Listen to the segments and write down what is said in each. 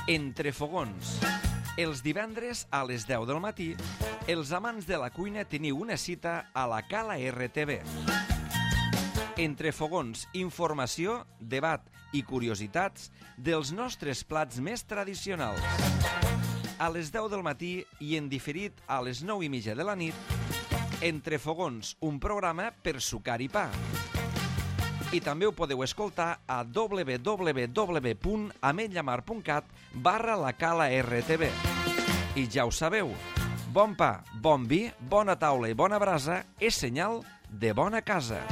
Entre fogons. Els divendres a les 10 del matí, els amants de la cuina teniu una cita a la Cala RTV. Entre fogons, informació, debat i curiositats dels nostres plats més tradicionals. A les 10 del matí i en diferit a les 9:30 de la nit, Entre fogons, un programa per sucar i pa. I també ho podeu escoltar a www.ametlllamar.cat/la Cala RTV. I ja ho sabeu, bon pa, bon vi, bona taula i bona brasa és senyal de bona casa.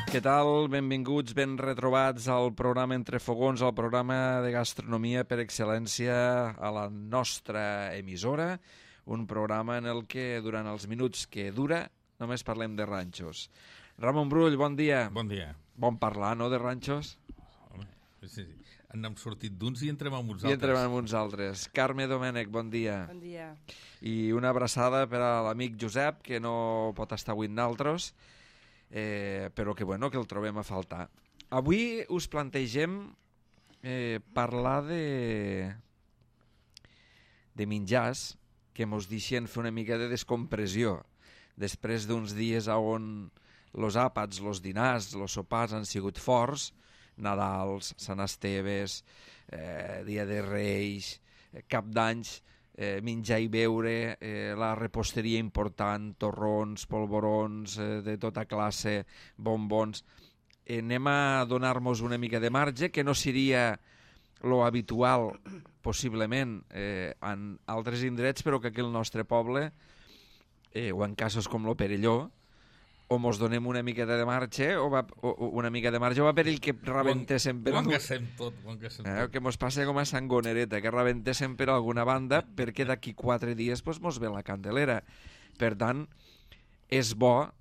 Què tal? Benvinguts, ben retrobats al programa Entre Fogons, al programa de gastronomia per excel·lència a la nostra emissora. Un programa en el que, durant els minuts que dura, només parlem de ranxos. Ramon Brull, bon dia. Bon dia. Bon parlar, no, de ranxos? Home, sí. N'hem sortit d'uns i entrem amb uns altres. I entrem amb uns altres. Carme Domènech, bon dia. Bon dia. I una abraçada per a l'amic Josep, que no pot estar avui amb nosaltres, però que, bueno, que el trobem a faltar. Avui us plantegem parlar de menjars que mos deixen fer una mica de descompressió després d'uns dies on los àpats, los dinars, los sopars han sigut forts, Nadals, Sant Esteves, Dia de Reis, Cap d'Anys, menjar i beure, la reposteria important, torrons, polvorons, de tota classe, bombons. Anem a donar-nos una mica de marge, que no seria lo habitual, possiblement, en altres indrets, però que aquí al nostre poble, o en casos com lo Perelló, o mos donem una mica de marge, o va per ell que rebentéssim per... Ho engassem tot. Que mos passa com a Sangonereta, que rebentéssim per alguna banda, perquè d'aquí 4 dies mos ve la Candelera. Per tant, és bo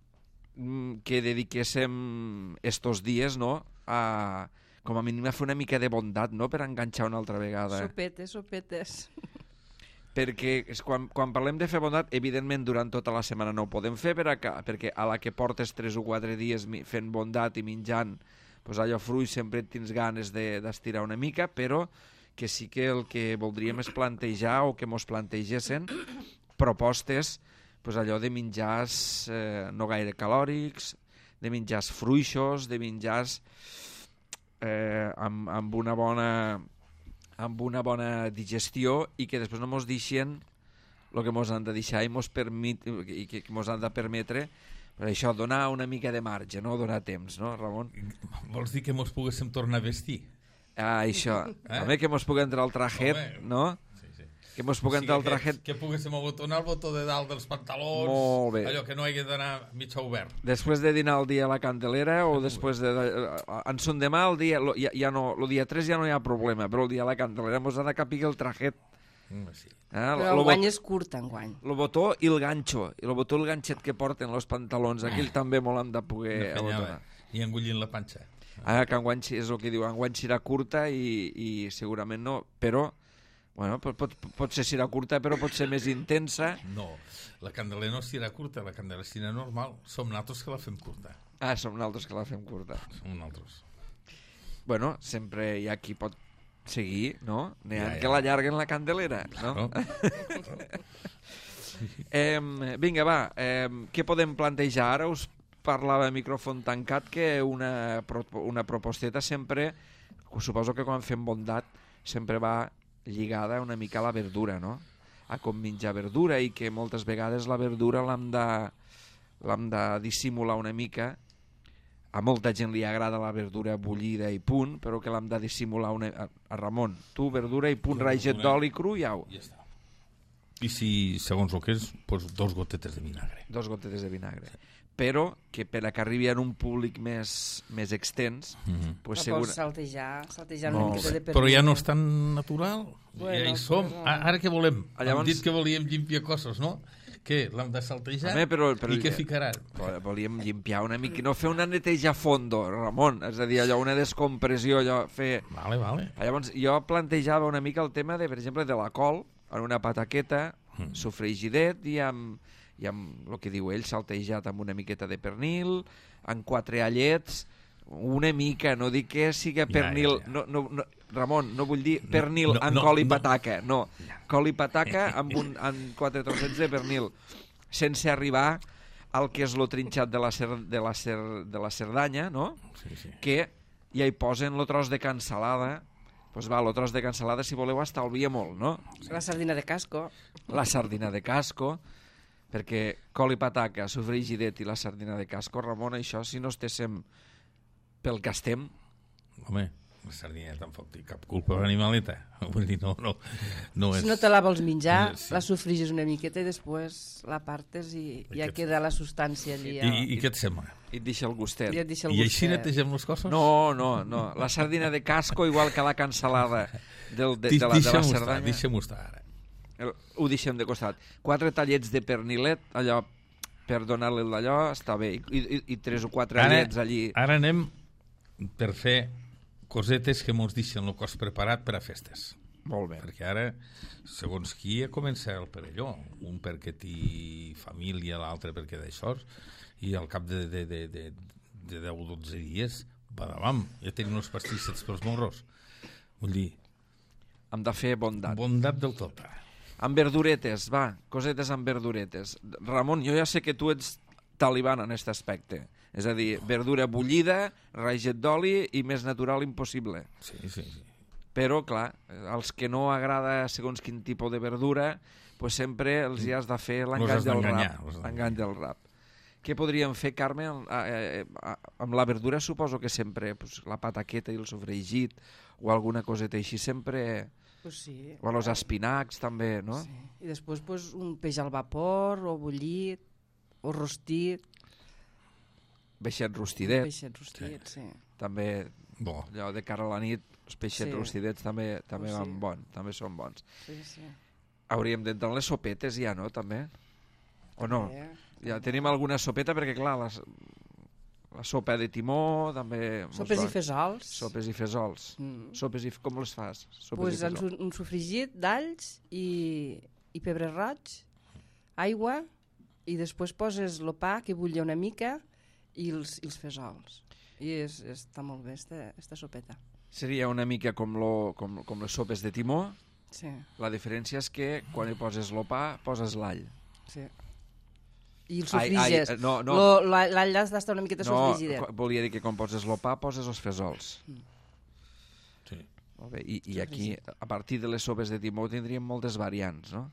que dediquéssim estos dies, no?, a, com a mínim, a fer una mica de bondat, no?, per enganxar una altra vegada. Sopetes. Perquè quan parlem de fer bondat, evidentment durant tota la setmana no ho podem fer, perquè a la que portes 3 o 4 dies fent bondat i menjant, allò fruit sempre tens ganes d'estirar una mica, però que sí que el que voldríem és plantejar, o que mos plantegessin propostes, allò de menjars no gaire calòrics, de menjars fruixos, de menjars amb una bona digestió, i que després no mos deixen el que mos han de deixar i que mos han de permetre, per això, donar una mica de marge, no? Donar temps, no, Ramon? Vols dir que mos poguéssim tornar a vestir? Això. També que mos pugui entrar el trajet, no? Sí. Que mos pugui entrar el trajet... Que poguéssim abotonar el botó de dalt dels pantalons, molt bé. Allò que no hagi d'anar mig obert. Després de dinar el dia a la Candelera, o després de... En son demà, el dia 3 ja no hi ha problema, però el dia a la Candelera mos ha de capir el trajet. Sí. Però enguany és curt, enguany. El botó i el ganxo, i el botó i el ganxet que porten els pantalons, aquell també molt hem de poder abotonar. I engullint la panxa. Que enguany és el que diu, enguany serà curta i segurament no, però bueno, pot ser serà curta, però pot ser més intensa. No, la Candelera no serà curta, la Candelera serà normal. Som nosaltres que la fem curta. Som nosaltres que la fem curta. Som nosaltres. Bueno, sempre hi ha qui pot seguir, no? N'hi ha que l'allarguen la Candelera, no? Vinga, va, què podem plantejar? Ara us parlava a micròfon tancat que una proposteta sempre, suposo que quan fem bondat, sempre va lligada una mica a la verdura, no? A com menjar verdura, i que moltes vegades la verdura l'hem de dissimular una mica. A molta gent li agrada la verdura bullida i punt, però que l'hem de dissimular a Ramon. Tu, verdura i punt, raget d'oli cru i au. Ja està. I si, segons el que és, 2 gotetes de vinagre. 2 gotetes de vinagre. Però que per a que arribi a un públic més extens... Pots saltejar una miqueta de pernil. Però ja no és tan natural. Ja hi som. Ara què volem? Hem dit que volíem llimpiar coses, no? Què? L'hem de saltejar? I què ficarà? Volíem llimpiar una mica, no fer una neteja a fondo, Ramon, és a dir, allò, una descompressió, allò, fer... Vale. Llavors, jo plantejava una mica el tema, per exemple, de la col, en una pataqueta, sofregidet, i amb el que diu ell, saltejat amb una miqueta de pernil, amb 4 allets, Una mica, no dic que sigui pernil... Ja. No, Ramon, no vull dir pernil amb col i pataca, no. Col i pataca amb 4 trossets de pernil, sense arribar al que és lo trinxat de la Cerdanya, no? Sí. Que ja hi posen lo tros de cansalada. Doncs va, lo tros de cansalada, si voleu, estalvia molt, no? La sardina de casco. La sardina de casco, perquè col i pataca, sofregidet i la sardina de casco, Ramon, això, si no estéssim pel que estem... Home, la sardina tampoc té cap culpa l'animaleta. Vull dir, no és... Si no te la vols menjar, sí. La sofrigis una miqueta i després la partes i ja queda la substància allí. I què et sembla? I et deixa el gustet. I així netegem les coses? No. La sardina de casco, igual que la cansalada de la Cerdanya... Deixem-ho estar, ara. Ho deixem de costat. 4 tallets de pernilet, allò, per donar-li d'allò, està bé. I 3 o 4 allets allí. Ara anem per fer cosetes que mos deixen el cos preparat per a festes. Molt bé. Perquè ara, segons qui, comença el perelló. Un perquè té família, l'altre perquè d'això, i al cap de 10 o 12 dies, badabam, ja tenim uns pastissets pels morros. Vull dir... Hem de fer bondat. Bondat del tot. Amb verduretes, va, cosetes amb verduretes. Ramon, jo ja sé que tu ets taliban en aquest aspecte. És a dir, verdura bullida, raget d'oli i més natural impossible. Sí. Però, clar, als que no agrada segons quin tipus de verdura, pues sempre els hi has de fer l'engany del rap. L'engany del rap. Què podríem fer, Carme, amb la verdura? Suposo que sempre la pataqueta i el sofregit o alguna coseta així, sempre... Pues sí. O els espinacs, també, no? Sí. I després pues, un peix al vapor, o bullit, o rostit. Peixet rostidet. Peixet rostit, sí. També, bo. Allò de cara a la nit, els peixets rostidets també van bons, també són bons. Sí. Hauríem d'entrar en les sopetes ja, no, també? O no? Ja tenim alguna sopeta, perquè clar, la sopa de timó també... Sopes i fesols. Sopes i fesols. Sopes i... Com les fas? Pues un sofregit d'alls i pebre roig, aigua, i després poses el pa que bullia una mica i els fesols. I està molt bé, esta sopeta. Seria una mica com les sopes de timó. Sí. La diferència és que quan hi poses el pa, poses l'all. Sí. I el sofriges. No. L'all has d'estar una miqueta sofrigidet. No, volia dir que quan poses el pa, poses els fesols. Sí. Molt bé. I aquí, a partir de les sopes de timó, tindríem moltes variants, no?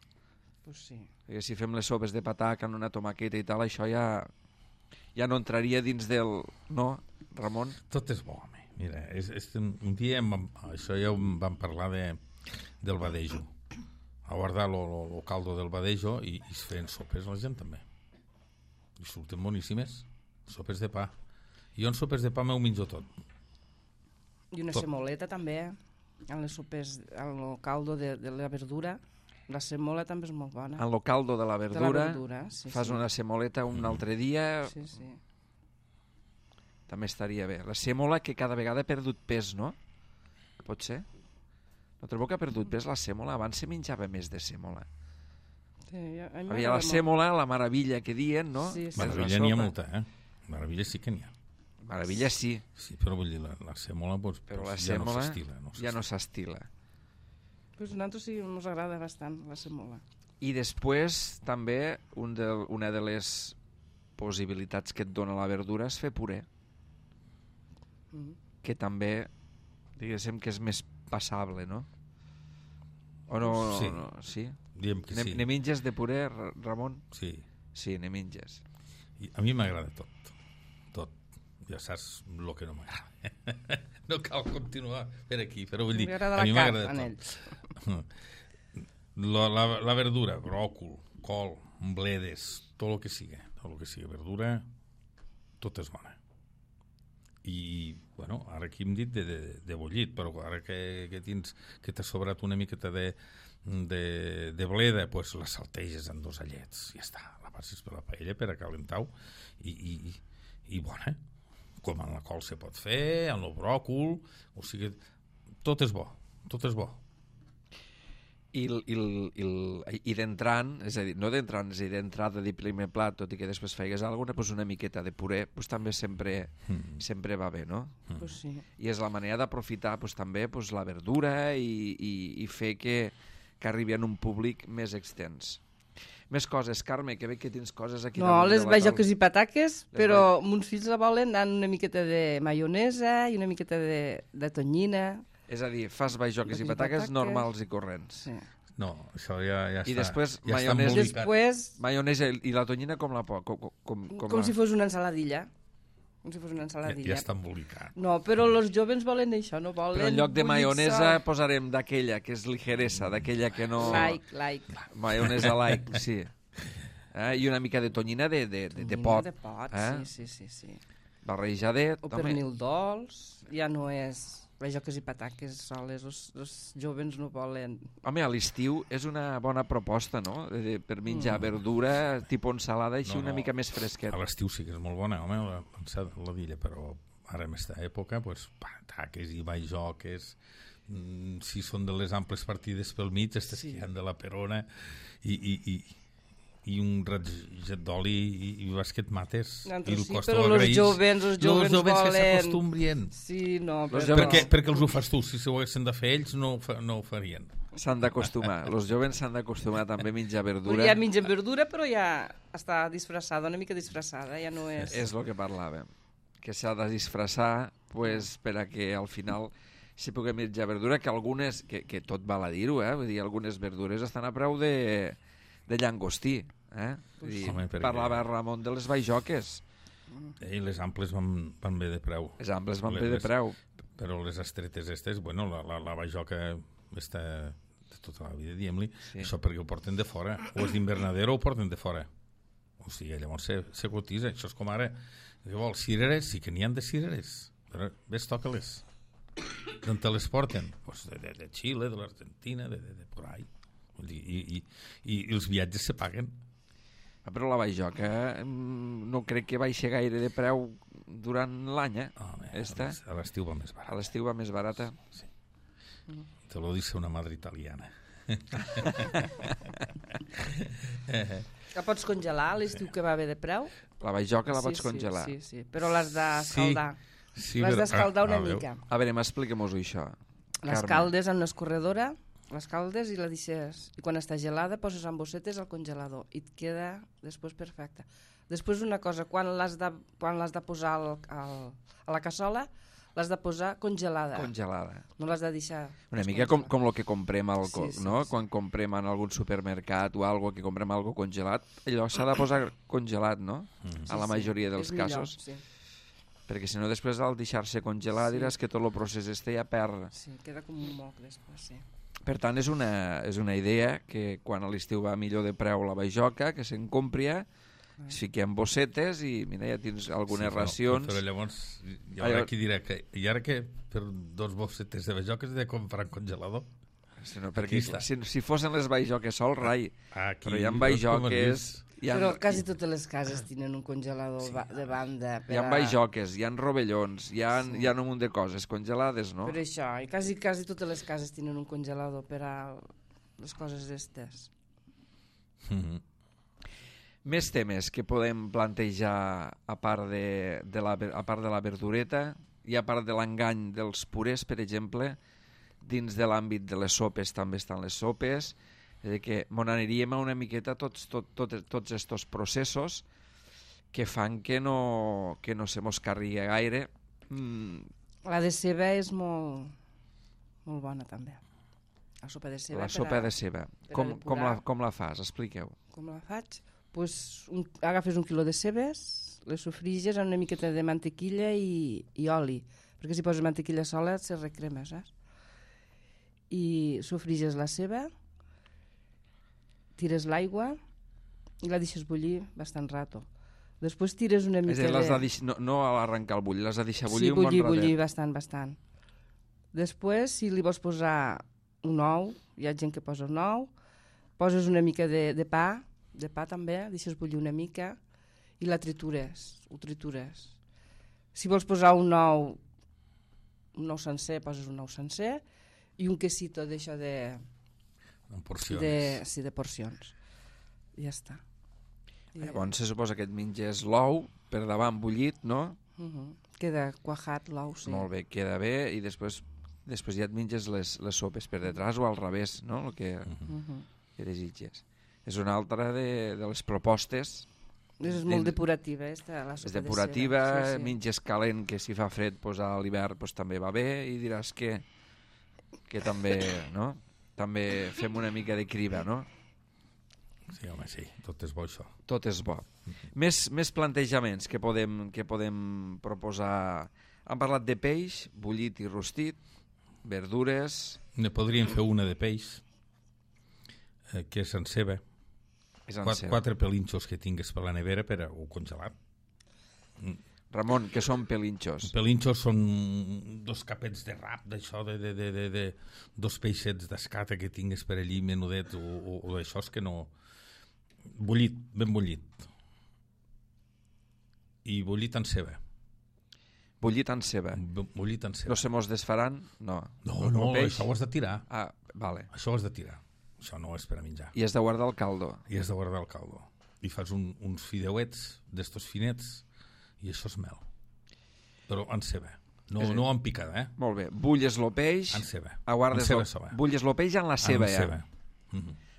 Pues sí. Perquè si fem les sopes de pataca amb una tomaqueta i tal, això ja no entraria dins del... No, Ramon? Tot és bo, home. Mira, un dia això ja vam parlar del badejo. A guardar el caldo del badejo i es feien sopes la gent també. I surten boníssimes. Sopes de pa. Jo en sopes de pa m'ho menjo tot. I una semoleta també, en les sopes, en el caldo de la verdura. La semola també és molt bona. En el caldo de la verdura, sí, fas una semoleta un altre dia... Sí. També estaria bé. La semola que cada vegada ha perdut pes, no? Pot ser? No trobo que ha perdut pes la semola? Abans se menjava més de semola. Sí, havia la semola, la maravilla que dien, no? Sí. Maravilla n'hi ha molta, Maravilla sí que n'hi ha. Maravilla sí. Sí, però vull dir, la semola pues, però la ja semola no s'estila. Ja no s'estila. Pues a nosaltres sí ens agrada bastant la semola. I després també una de les possibilitats que et dona la verdura és fer puré. Que també diguéssim que és més passable, no? O no? Sí. No, sí? Diem que sí. Ne menges de puré, Ramon? Sí. Sí, ne menges. I a mi m'agrada tot. Ja saps el que no m'agrada. No cal continuar per aquí, però vull dir, a mi m'agrada tot. La verdura, bròcol, col, bledes, tot el que sigui verdura, tot és bona. I, bueno, ara aquí hem dit de bullit, però ara que t'ha sobrat una miqueta de bleda, doncs la salteges en 2 allets, ja està, la passes per la paella per a calentar-ho i bona, com en la col se pot fer, en el bròcol, o sigui, tot és bo. I d'entrant, és a dir, no d'entrant, és a dir, d'entrada de primer plat, tot i que després feigues alguna, doncs una miqueta de puré doncs també sempre va bé, no? Pues sí. I és la manera d'aprofitar doncs, també doncs, la verdura i fer que arribi a un públic més extens. Més coses, Carme, que veig que tens coses aquí. No, les bajoques i pataques, però mons fills la volen amb una miqueta de maionesa i una miqueta de tonyina. És a dir, fas bajoques i pataques normals i corrents. Sí. No, això ja està. I després ja maionesa i la tonyina com la poc? Com si fos una ensaladilla. Com si fos una ensaladilla. Ja està embolicat. No, però els joves volen això, no volen... Però en lloc de maionesa posarem d'aquella, que és ligeresa, d'aquella que no... Like. Maionesa like, sí. I una mica de tonyina de pot. De pot, sí. Barrejadet. O pernil dolç, ja no és... bajoques i pataques soles, els joves no volen... Home, a l'estiu és una bona proposta, no? Per menjar verdura, tipus ensalada, així una mica més fresquet. A l'estiu sí que és molt bona, home, la dilla, però ara en aquesta època, doncs, pataques i bajoques, si són de les amples partides pel mig, aquestes que hi ha de la perona, i un ratget d'oli i basquet mates. I el cost però els jovens volen... que s'acostumbrien. Sí, no, però... Perquè els ho fas tu, si ho haguessin de fer ells no ho farien. S'han d'acostumar, els jovens s'han d'acostumar també a menjar verdura. Ja mengen verdura, però ja està disfressada, una mica disfressada, ja no és... És el que parlàvem, que s'ha de disfressar pues, per a que al final si puguem menjar verdura, que algunes, que tot val a dir-ho, vull dir, algunes verdures estan a preu de llangostí. Vull dir, parlava Ramon de les bajoques. I les amples van bé de preu. Les amples van bé de preu. Però les estretes estes, bueno, la bajoca està de tota la vida, diguem-li, això perquè ho porten de fora. O és d'Invernadero o ho porten de fora. O sigui, llavors se cotitza. Això és com ara, què vols, cireres? Sí que n'hi ha de cireres. Però ves, toca-les. D'on te les porten? Pues de Xile, de l'Argentina, de por ahí. I els viatges se paguen. Però la bajoca no crec que baixi gaire de preu durant l'any, A l'estiu va més barata. A l'estiu va més barata? Sí. Te lo dice una madre italiana. La pots congelar a l'estiu que va bé de preu? La bajoca la pots congelar? Sí, però l'has d'escaldar. L'has d'escaldar una mica. A veure, expliquem-ho això. L'escaldes en l'escorredora, l'escaldes i la deixes, i quan està gelada poses en bossetes al congelador i et queda després perfecta. Després una cosa, quan l'has de posar a la cassola l'has de posar congelada. No l'has de deixar una mica com el que comprem no? Quan comprem en algun supermercat o algo que comprem algo congelat, allò s'ha de posar congelat, no? A la majoria dels casos. Perquè si no després al deixar-se congelar diràs que tot el procés ja perd. Sí, queda com un moc després, sí. Per tant, és una idea que quan a l'estiu va millor de preu la bajoca, que se'n compri, es fiquem bossetes i mira, ja tens algunes racions. Però llavors hi haurà qui dirà que i ara que per 2 bossetes de bajoques he de comprar en congelador? No, perquè si fossin les bajoques sol, rai. Però hi ha bajoques... Però quasi totes les cases tenen un congelador de banda. Hi ha bajoques, hi ha rovellons, hi ha un munt de coses congelades, no? Per això, i quasi totes les cases tenen un congelador per a les coses d'estes. Més temes que podem plantejar a part de la verdureta i a part de l'engany dels purés, per exemple, dins de l'àmbit de les sopes també estan les sopes, que m'on aniríem una miqueta tots estos processos que fan que no se mos carregui gaire. La de ceba és molt bona també. La sopa de ceba. La sopa de ceba. Com la fas? Expliqueu. Com la faig? Pues agafes 1 quilo de cebes, les sofriges amb una miqueta de mantequilla i oli, perquè si poses mantequilla sola se recrema, saps? I sofriges la ceba, tires l'aigua i la deixes bullir bastant rato. Després tires una mica no a l'arrencar el bull, l'has de deixar bullir un bon ratet. Sí, bullir bastant. Després, si li vols posar un ou, hi ha gent que posa un ou, poses una mica de pa també, deixes bullir una mica i ho tritures. Si vols posar un ou sencer, poses un ou sencer i un quesito d'això de En porcions. Sí, de porcions. Ja està. Llavors se suposa que et menges l'ou per davant bullit, no? Queda cuajat l'ou, sí. Molt bé, queda bé, i després ja et menges les sopes per detrás o al revés, no? El que desitges. És una altra de les propostes. És molt depurativa, la sopa és depurativa, de ceba. Sí. Menges calent, que si fa fred a l'hivern també va bé, i diràs que també, no? També fem una mica de criba, no? Sí, home, sí, tot és bo això. Tot és bo. Més plantejaments que podem proposar. Hem parlat de peix, bullit i rostit, verdures... Ne podríem fer una de peix, que és en ceba. Quatre pelinxos que tingues per la nevera per o congelat. Ramon, què són pelinxos? Pelinxos són 2 capets de rap, d'això, de 2 peixets d'escata que tingues per allí, menudet, o d'això que no... Bullit, ben bullit. I bullit en ceba. Bullit en ceba. Bullit en ceba. No se mos desfaran? No. No, això ho has de tirar. Ah, vale. Això ho has de tirar. Això no és per a menjar. I has de guardar el caldo. I has de guardar el caldo. I fas uns fideuets d'estos finets i això és mel. Però en ceba. No en picada, Molt bé. Bulles el peix. En ceba. Bulles el peix en la ceba, en ceba.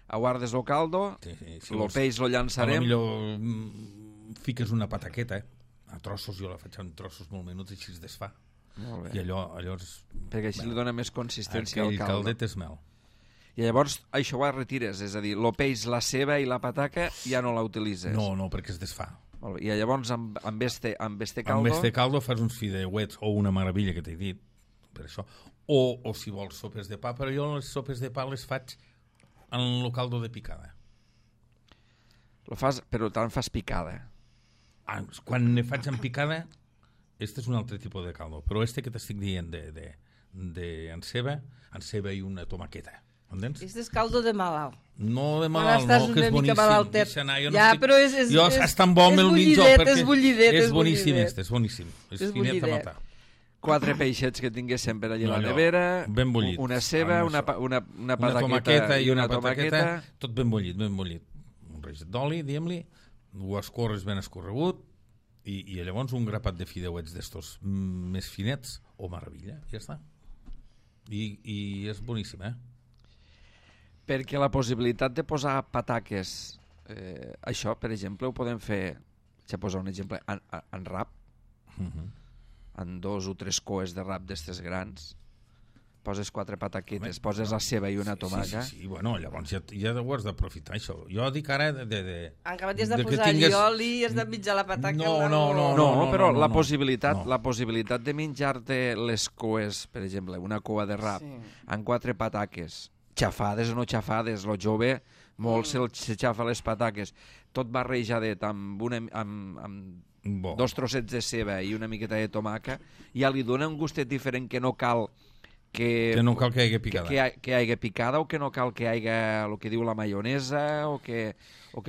Aguardes el caldo, el peix lo llançarem. Potser fiques una pataqueta, a trossos, jo la faig en trossos molt menuts i així es desfà. Molt bé. I allò és... Perquè així li dona més consistència al caldo. El caldet és mel. I llavors això ho retires, és a dir, el peix, la ceba i la pataca ja no la utilitzes. No, perquè es desfà. Molt bé. I llavors amb este caldo... Amb este caldo fas uns fideuets o una meravella que t'he dit, per això. O si vols sopes de pa, però jo les sopes de pa les faig en el caldo de picada. Però tant fas picada. Quan ne faig en picada, este és un altre tipus de caldo, però este que t'estic dient en ceba i una tomaqueta. Entens? Este és caldo de malalt. No de malalt, no, que és boníssim. Ja, però és tan bo el mitjó. És bullidet. És boníssim, és boníssim. És finet a matar. 4 peixets que tinguéssim per allà a la nevera, ben bullit, una ceba, una pataqueta i una tomaqueta. Tot ben bullit, ben bullit. Un reixet d'oli, diguem-li, ho escorres ben escorregut i llavors un grapat de fideuets d'estos més finets, meravella, ja està. I és boníssim, Perquè la possibilitat de posar pataques, això, per exemple, ho podem fer, ja posar un exemple, en rap, en 2 o 3 coes de rap d'estes grans, poses 4 pataquetes, poses la ceba i una tomaca. Sí, bueno, llavors ja ho has d'aprofitar, això. Jo dic ara encara t'hi has de posar oli i has de mitjar la pataca. No, però la possibilitat de menjar-te les coes, per exemple, una cua de rap, amb 4 pataques, xafades o no xafades, lo jove molt se xafa les pataques, tot barrejadet amb 2 trossets de ceba i una miqueta de tomaca, ja li dona un gustet diferent que no cal que hi hagi picada. Que hi hagi picada o que no cal que hi hagi el que diu la maionesa o que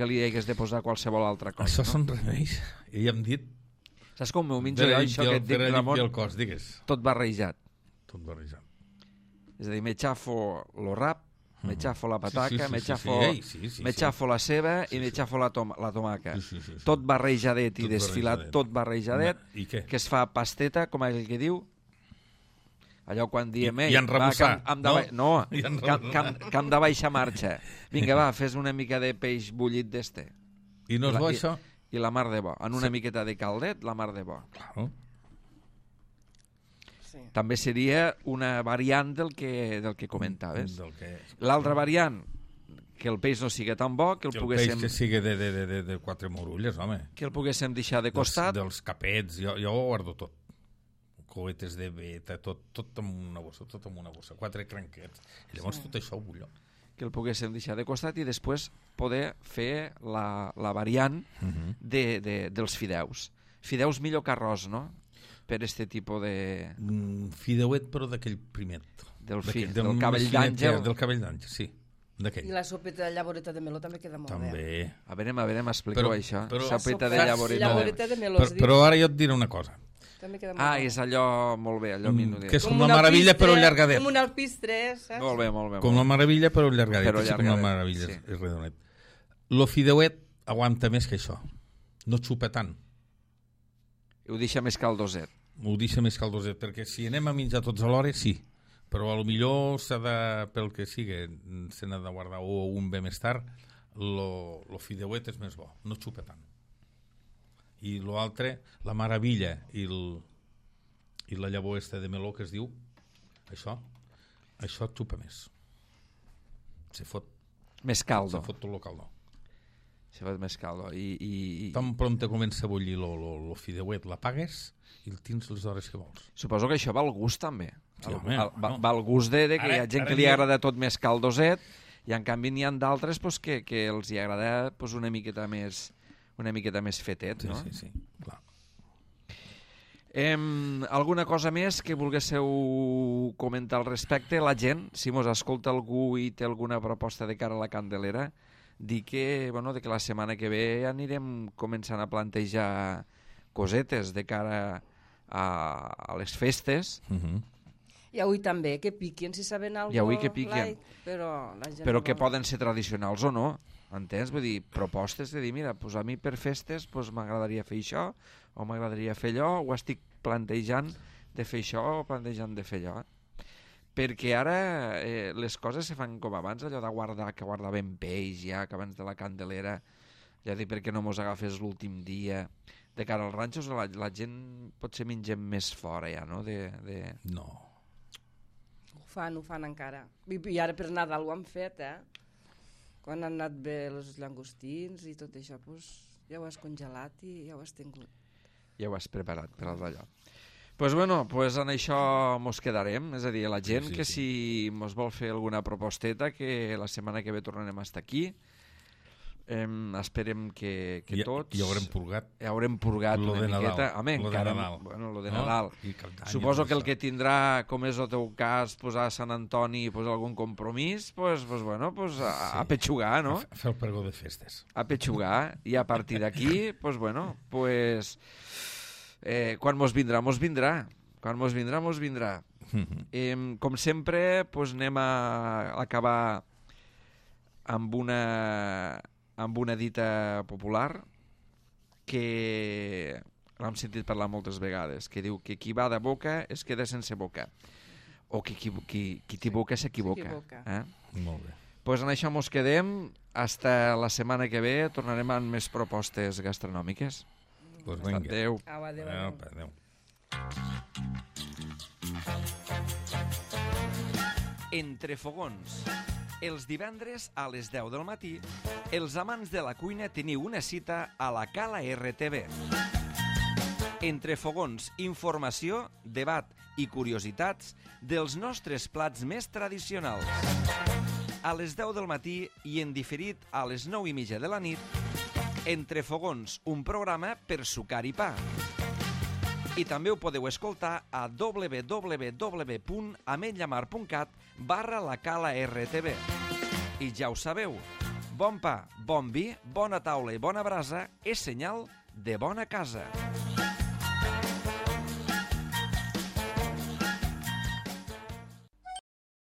li hagués de posar qualsevol altra cosa. Això són remeis. I hem dit... Saps com m'ho menjo jo, això que et dic, Ramon? Tot barrejat. És a dir, me xafo lo rap, me xafo la pataca, me xafo la ceba i me xafo la tomaca. Tot barrejadet i desfilat, tot barrejadet, que es fa pasteta, com és el que diu? Allò quan diem, i enrebuçar, que hem de baixar marxa. Vinga, va, fes una mica de peix bullit d'este. I no és bo, això? I la mar de bo. En una miqueta de caldet, la mar de bo. També seria una variant del que comentaves. L'altra variant, que el peix no sigui tan bo, que el poguéssim... El peix que sigui de 4 morulles, home. Que el poguéssim deixar de costat. Dels capets, jo ho guardo tot. Coetes de beta, tot en una bossa, 4 cranquets. I llavors tot això ho bullo. Que el poguéssim deixar de costat i després poder fer la variant dels fideus. Fideus millor que arròs, no? Per este tipus de... Fideuet, però d'aquell primet. Del cabell d'àngel. Del cabell d'àngel, sí. I la sopeta de llavoreta de meló també queda molt bé. A veure, expliqueu això. Sopeta de llavoreta de meló. Però ara jo et diré una cosa. és allò, molt bé, allò minudet. Que és com la Meravilla però llargadet. Com un alpistre, saps? Molt bé. Com la Meravilla però llargadet. Com la Meravilla és redonet. Lo fideuet aguanta més que això. No xupa tant. Ho deixa més caldoset. Ho deixa més caldoset, perquè si anem a menjar tots alhora, sí. Però potser s'ha de, pel que sigui, se n'ha de guardar o un bé més tard, lo fideuet és més bo, no xupa tant. I l'altre, la Meravilla i la llavor de meló que es diu, això xupa més. Se fot més caldo. Se fot tot el caldo. Se fot més caldo. Tan pront comença a bullir lo fideuet, l'apagues i el tens les hores que vols. Suposo que això va al gust també. Sí, va al gust de que hi ha gent que li agrada tot més caldoset i en canvi n'hi ha d'altres que els hi agrada una miqueta més fetet, no? Sí, clar. Alguna cosa més que volguéssiu comentar al respecte? La gent, si mos escolta algú i té alguna proposta de cara a la Candelera, dir que la setmana que ve anirem començant a plantejar cosetes de cara a les festes. I avui també, que piquen, si saben alguna cosa. I avui que piquen. Però que poden ser tradicionals o no. Entens? Vull dir, propostes de dir, mira, a mi per festes m'agradaria fer això, o m'agradaria fer allò, o estic plantejant de fer això, o plantejant de fer allò. Perquè ara les coses se fan com abans, allò de guardar ben peix ja, que abans de la Candelera, ja dic, perquè no mos agafés l'últim dia. De cara als ranxos, la gent potser mengem més fora ja, no? No. Ho fan encara. I ara per Nadal ho han fet, Quan han anat bé els llangostins i tot això, ja ho has congelat i ja ho has tingut. Ja ho has preparat per allò. Doncs en això mos quedarem, és a dir, la gent que si mos vol fer alguna proposteta, que la setmana que ve tornarem a estar aquí. Esperem que tots... Ja haurem purgat. Ja haurem purgat una miqueta. Home, encara... Lo de Nadal. Suposo que el que tindrà, com és el teu cas, posar a Sant Antoni i posar algun compromís, a petxugar, no? A fer el pregó de festes. A petxugar. I a partir d'aquí, quan mos vindrà, mos vindrà. Quan mos vindrà, mos vindrà. Com sempre, anem a acabar amb una dita popular que l'hem sentit parlar moltes vegades, que diu que qui va de boca es queda sense boca, o que qui té boca s'equivoca. Molt bé. Doncs en això mos quedem. Hasta la setmana que ve tornarem amb més propostes gastronòmiques. Doncs vinga. Adéu. Adéu. Entre fogons. Els divendres a les 10 del matí, els amants de la cuina teniu una cita a la Cala RTV. Entre fogons, informació, debat i curiositats dels nostres plats més tradicionals. A les 10 del matí i en diferit a les 9:30 de la nit, Entre fogons, un programa per sucar i pa. I també ho podeu escoltar a www.ametlllamar.cat/la Cala RTV. I ja ho sabeu, bon pa, bon vi, bona taula i bona brasa és senyal de bona casa.